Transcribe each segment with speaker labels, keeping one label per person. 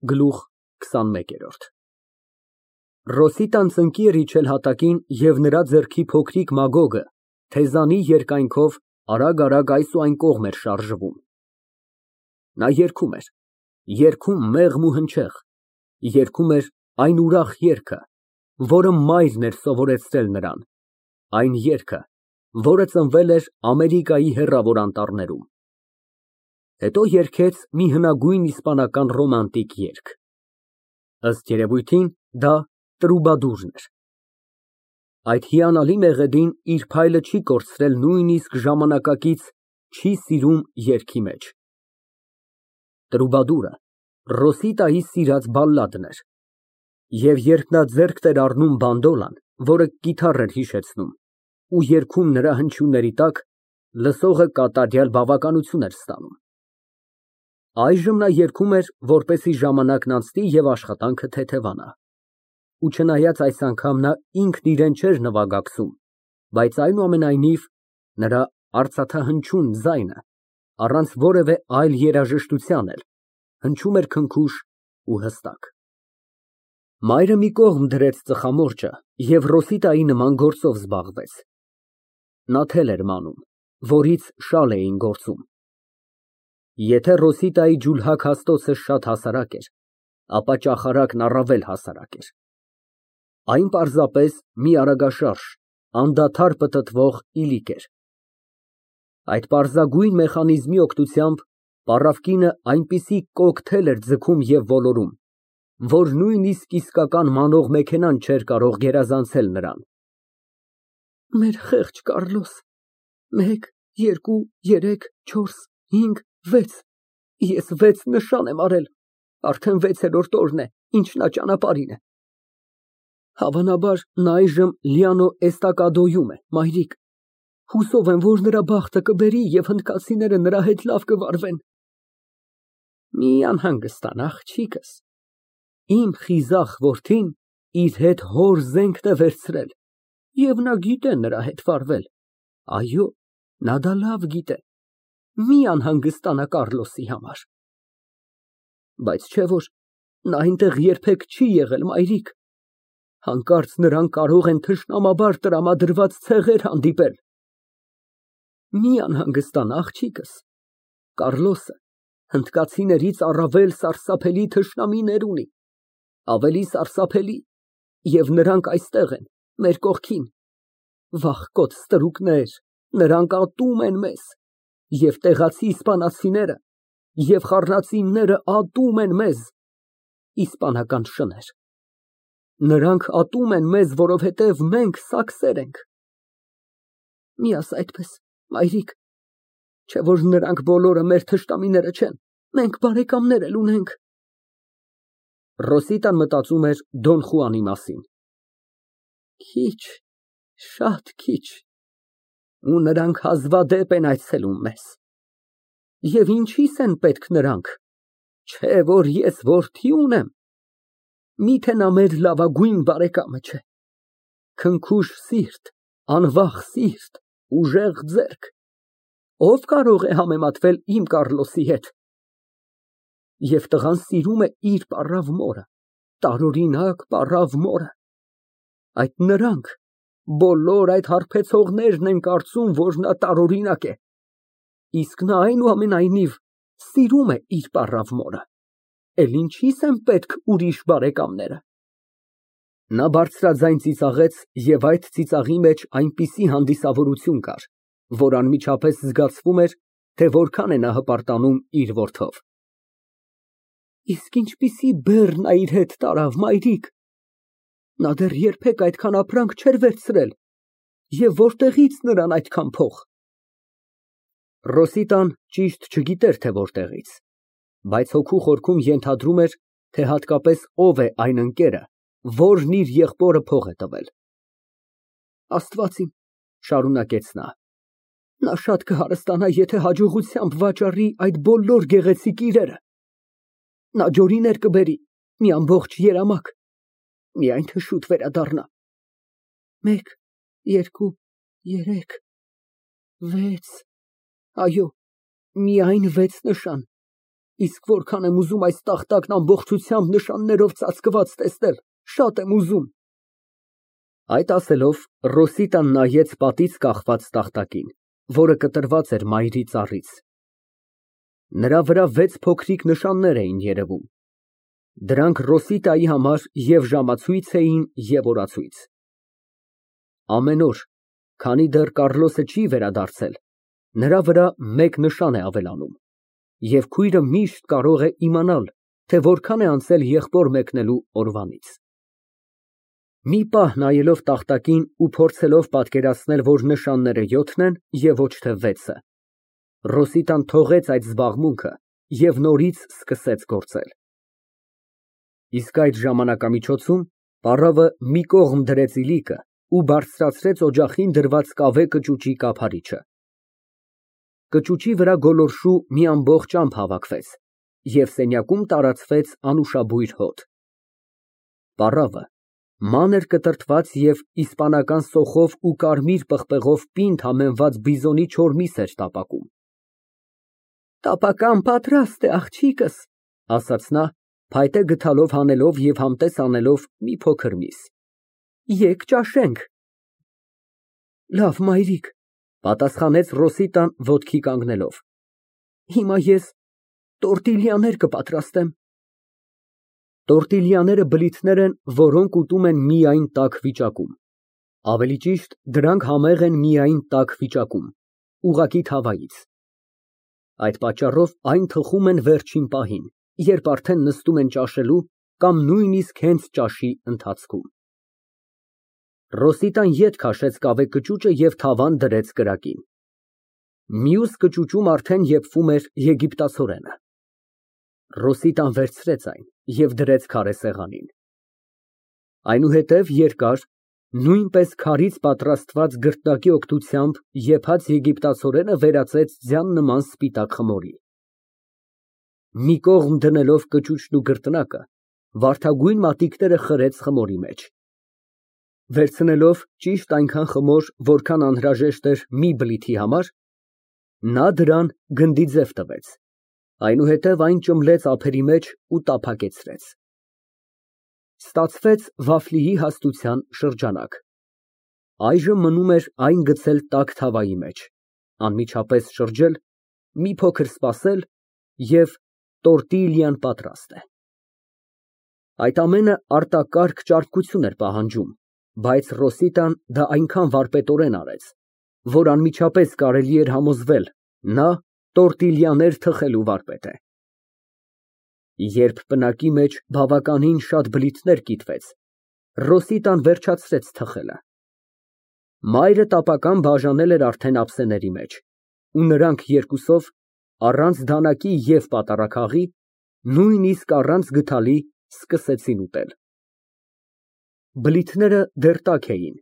Speaker 1: Գլուխ քսանմեկերորդ Ռոսիտան ծնկի էր իջել հատակին և նրա ձեռքի փոքրիկ մագոգը թեզանի երկայնքով արագ այս ու այն կողմ էր շարժվում։ Նա երգում մեղմ ու հնչեղ, երգում էր այն ուրախ երգը, որը մայրն էր սովորեցրել նրան, այն երգը, որը ծնվել էր Ամերիկայի հեռավոր անտառներում։ Հետո երգեց մի հնագույն իսպանական ռոմանտիկ երգ։ Ըստ երևույթին դա տրուբադուրն էր։ Այդ հիանալի մեղեդին իր փայլը չի կորցրել նույնիսկ ժամանակակից «Չի սիրում» երգի մեջ։ Տրուբադուրը Ռոսիտայի սիրած բալլադն էր, և երբ նա ձեռքտ էր առնում բանդոլան, որը կիթառ էր հիշեցնում, ու երգում նրա հնչյունների տակ, լսողը կատարյալ բավականություն էր ստանում։ Այժմ նա երգում էր, որպեսզի ժամանակն անցնի և աշխատանքը թեթևանա։ Ու չնայած այս անգամ նա ինքն իրեն չէր նվագակցում, բայց այնուամենայնիվ նրա արծաթահնչյուն ձայնը, առանց որևէ այլ երաժշտության էլ, հնչում էր քնքուշ ու հստակ։ Մայրը մի կողմ դրեց ծխամորճը և Ռոսիտայի նման գործով զբաղվեց։ Նա թել էր մանում, որից շալ էին գործում։ Եթե Ռոսիտայի ջուլհակ հաստոցը շատ հասարակ էր, ապա ճախարակն առավել հասարակ էր։ Այն պարզապես մի արագաշարժ, անդադար պտտվող իլիկ էր։ Այդ պարզագույն մեխանիզմի օգնությամբ պառավկինը այնպիսի կոկտեյլ էր ձգում և ոլորում, որ նույնիսկ իսկական մանող մեքենան չէր կարող գերազանցել նրան։ Մեր խեղճ Կառլոս, 1, 2, 3, 4, 5, 6, ես 6 նշան եմ արել, արդեն 6-րդ օրն է, ինչ նա ճանապարհին է։ Հավանաբար նա այժմ Լիանո Էստակադոյում է, մայրիկ, հուսով եմ, որ նրա բախտը կբերի և հնդկացիները նրա հետ լավ կվարվեն։ Մի անհանգստանա, աղջիկս, իմ խիզախ որդին իր հետ հոր զենքն է վերցրել, և նա գիտե նրա հետ վարվել, այո, նա դա լավ գիտե, մի անհանգստանա Կառլոսի համար։ Բայց չէ՞ որ նա այնտեղ երբեք չի եղել, մայրիկ, հանկարծ նրան կարող են թշնամաբար տրամադրված ցեղեր հանդիպել։ Մի անհանգստանա, աղջիկս, Կառլոսը հնդկացիներից առավել սարսափելի թշնամիներ ունի, ավելի սարսափելի, և նրանք այստեղ են, մեր կողքին, վախկոտ ստրուկներ, նրանք ատում են մեզ, և տեղացի իսպանացիները և խառնածինները ատում են մեզ, իսպանական շներ։ Նրանք ատում են մեզ, որովհետև մենք սաքսեր ենք։ Մի ասա այդպես, մայրիկ, չէ՞ որ նրանք բոլորը մեր թշնամիները չեն, մենք բարեկամներ էլ ունենք։ Ռոսիտան մտածում էր Դոն Խուանի մասին։ Քիչ, շատ քիչ, ու նրանք հազվադեպ են այցելում մեզ։ Եվ ինչի՞ս են պետք նրանք, չէ որ ես որդի ունեմ, միթե նա մեր լավագույն բարեկամը չէ։ Քնքուշ սիրտ, անվախ սիրտ, ուժեղ ձեռք, ո՞վ կարող է համեմատվել իմ Կառլոսի հետ։ Եվ տղան սիրում է իր պառավ մորը, տարօրինակ պառավ մորը։ Այդ նրանք, բոլոր այդ հարբեցողներն են կարծում, որ նա տարօրինակ է, իսկ նա այնուամենայնիվ սիրում է իր պառավ մորը, էլ ինչի՞ս են պետք ուրիշ բարեկամները։ Նա բարձրաձայն ծիծաղեց և այդ ծիծաղի մեջ այնպիսի հանդիսավորություն կար, որ անմիջապես զգացվում էր, թե որքան է նա հպարտանում իր որդով։ Իսկ ինչպիսի բեռ նա իր հետ տարավ, մայրիկ, նա դեռ երբեք այդքան ապրանք չէր վերցրել, և որտեղի՞ց նրան այդքան փող։ Ռոսիտան ճիշտ չգիտեր, թե որտեղից, բայց հոգու խորքում ենթադրում էր, թե հատկապես ով է այն ընկերը, որն իր եղբորը փող է տվել։ Աստված իմ, շարունակեց նա շատ կհարստանա, եթե հաջողությամբ վաճառի այդ բոլոր գեղեցիկ իրերը։ Նա ջորիներ կբերի, մի ամբողջ երամակ, միայն թե շուտ վերադառնա։ 1, 2, 3, 6, այո, միայն 6 նշան, Իսկ որքան եմ ուզում այս տախտակն ամբողջությամբ նշաններով ծածկված տեսնել, շատ եմ ուզում։ Այդ ասելով, Ռոսիտան նայեց պատից կախված տախտակին, որը կտրված էր մայրի ծառից։ Նրա վրա 6 փոքրիկ նշաններ էին երևում։ Դրանք Ռոսիտայի համար և ժամացույց էին, և օրացույց։ Ամեն օր, քանի դեռ Կառլոսը չի վերադարձել, նրա վրա մեկ նշան է ավելանում, և քույրը միշտ կարող է իմանալ, թե որքան է անցել եղբոր մեկնելու օրվանից։ Մի պահ նայելով տախտակին ու փորձելով պատկերացնել, որ նշանները 7 են և ոչ թե 6-ը, Ռոսիտան թողեց այդ զբաղմունքը և նորից սկսեց գործել։ Իսկ այդ ժամանակամիջոցում պառավը մի կողմ դրեց իլիկը ու բարձրացրեց օջախին դրված կավե կճուճի կափարիչը։ Կճուճի վրա գոլորշու մի ամբողջ ամպ հավաքվեց, և սենյակում տարածվեց անուշաբույր հոտ։ Պառավը մանր կտրտված և իսպանական սոխով ու կարմիր պղպեղով պինդ համեմված բիզոնի չորմիս էր տապակում։ «Տապական պատրաստ է, աղջիկս», ասաց նա, փայտե գդալով հանելով և համտես անելով մի փոքր միս։ «Եկ ճաշենք»։ Լավ, մայրիկ, պատասխանեց Ռոսիտան ոտքի կանգնելով։ Հիմա ես տորտիլյաներ կպատրաստեմ։ Տորտիլյաները բլիթներ են, որոնք ուտում են միայն տաք վիճակում, ավելի ճիշտ, դրանք համեղ են միայն տաք վիճակում, ուղղակի թավայից։ Այդ պատճառով այն թխում են վերջին պահին, երբ արդեն նստում են ճաշելու կամ նույնիսկ հենց ճաշի ընթացքում։ Ռոսիտան ետ քաշեց կավե կճուճը և թավան դրեց կրակին։ Մյուս կճուճում արդեն եփվում էր եգիպտացորենը։ Ռոսիտան վերցրեց այն և դրեց քարե սեղանին։ Այնուհետև երկար, նույնպես քարից պատրաստված գրտնակի օգնությամբ եփած եգիպտացորենը վերածեց ձյան նման սպիտակ խմորի։ Մի կողմ դնելով կճուճն ու գրտնակը, վարդագույն մատիկները խրեց խմորի մեջ։ Վերցնելով ճիշտ այնքան խմոր, որքան անհրաժեշտ էր մի բլիթի համար, նա դրան գնդի ձև տվեց, այնուհետև այն ճմլեց ափերի մեջ ու տափակեցրեց։ Ստացվեց վաֆլիի հաստության շրջանակ։ Այժմ մնում էր այն գցել տաք թավայի մեջ, անմիջապես շրջել, մի փոքր սպասել և տորտիլյան պատրաստ է։ Այդ ամենը արտակարգ ճարպկություն էր պահանջում, բայց Ռոսիտան դա այնքան վարպետորեն արեց, որ անմիջապես կարելի էր համոզվել, նա տորտիլյաներ թխելու վարպետ է։ Երբ պնակի մեջ բավականին շատ բլիթներ կիտվեց, Ռոսիտան վերջացրեց թխելը։ Մայրը տապական բաժանել էր արդեն ափսեների մեջ, ու նրանք երկուսով, առանց դանակի և պատառաքաղի, նույնիսկ առանց գդալի, սկսեցին ուտել։ Բլիթները դեռ տաք էին,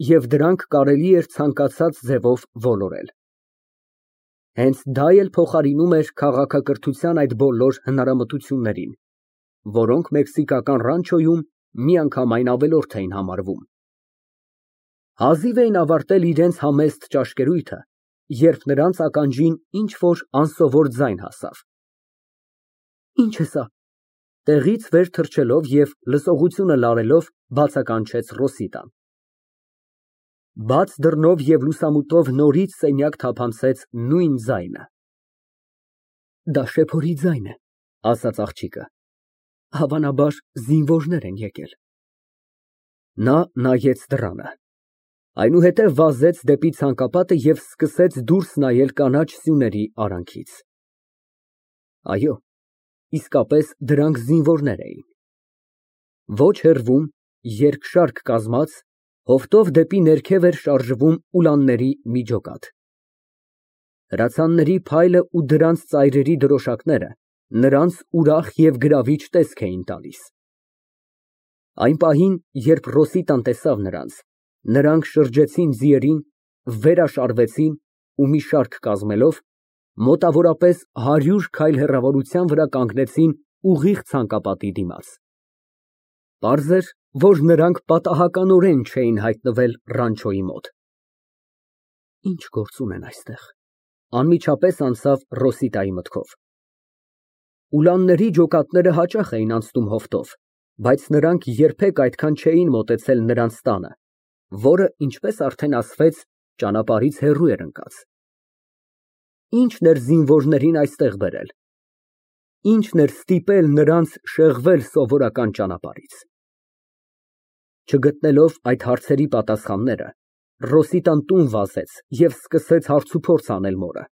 Speaker 1: և դրանք կարելի էր ցանկացած ձևով ոլորել։ Հենց դա էլ փոխարինում էր քաղաքակրթության այդ բոլոր հնարամտություններին, որոնք մեքսիկական ռանչոյում միանգամայն ավելորդ էին համարվում։ Հազիվ էին ավարտել իրենց համեստ ճաշկերույթը, երբ նրանց ականջին ինչ֊որ անսովոր ձայն հասավ։ Ի՞նչ է սա։ Տեղից վեր թռչելով և լսողությունը լարելով, բացականչեց Ռոսիտան։ Բաց դռնով և լուսամուտով նորից սենյակ թափանցեց նույն ձայնը։ Դա շեփորի ձայն է, ասաց աղջիկը։ Հավանաբար զինվորներ են եկել։ Նա նայեց դռանը, այնուհետև վազեց դեպի ցանկապատը և սկսեց դուրս նայել կանաչ սյուների արանքից։ Այո, իսկապես դրանք զինվորներ էին։ Ոչ հեռվում, երկշարք կազմած, հովտով դեպի ներքև էր շարժվում ուլանների մի ջոկատ։ Հրացանների փայլը ու դրանց ծայրերի դրոշակները նրանց ուրախ և գրավիչ տեսք էին տալիս։ Այն պահին, երբ Ռոսիտան տեսավ նրանց, նրանք շրջեցին ձիերին, վերաշարվեցին ու մի շարք կազմելով, մոտավորապես 100 քայլ հեռավորության վրա կանգնեցին ուղիղ ցանկապատի դիմաց։ Պարզ էր, որ նրանք պատահականորեն չէին հայտնվել ռանչոյի մոտ։ Ինչ գործում են այստեղ, անմիջապես անցավ Ռոսիտայի մտքով։ Ուլանների ջոկատները հաճախ էին անցնում հովտով, բայց նրանք երբեք այդքան չէին մոտեցել նրանց տանը, որը, ինչպես արդեն ասվեց, ճանապարհից հեռու էր ընկած։ Ի՞նչն էր զինվորներին այստեղ բերել։ Ի՞նչն էր ստիպել նրանց շեղվել սովորական ճանապարհից։ Չգտնելով այդ հարցերի պատասխանները, Ռոսիտան տուն վազեց և սկսեց հարցուփորձ անել մորը,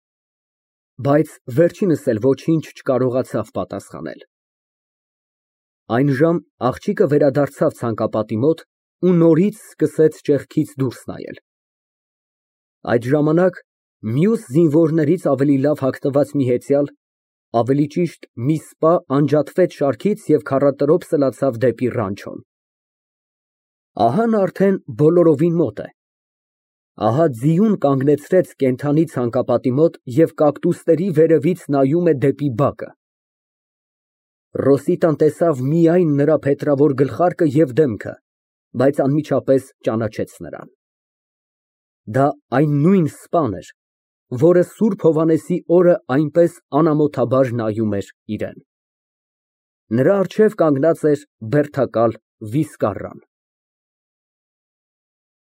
Speaker 1: բայց վերջինս էլ ոչինչ չկարողացավ պատասխանել։ Այնժամ աղջիկը վերադարձավ ցանկապատի մոտ ու նորից սկսեց ճեղքից դուրս նայել։ Այդ ժամանակ մյուս զինվորներից ավելի լավ հագնված մի հեծյալ, ավելի ճիշտ մի սպա անջատվեց շարքից և քառատրոփ սլացավ դեպի ռանչոն։ Ահա նա արդեն բոլորովին մոտ է։ Ահա ձիուն կանգնեցրեց կենդանի ցանկապատի մոտ և կակտուսների վերևից նայում է դեպի բակը։ Ռոսիտան տեսավ միայն նրա փետրավոր գլխարկը և դեմքը, բայց անմիջապես ճանաչեց նրան։ Դա այն նույն սպան էր, որը Սուրբ Հովհաննեսի օրը այնպես անամոթաբար նայում էր իրան։ Նրա առջև կանգնած էր բերդակալ Վիսկառան։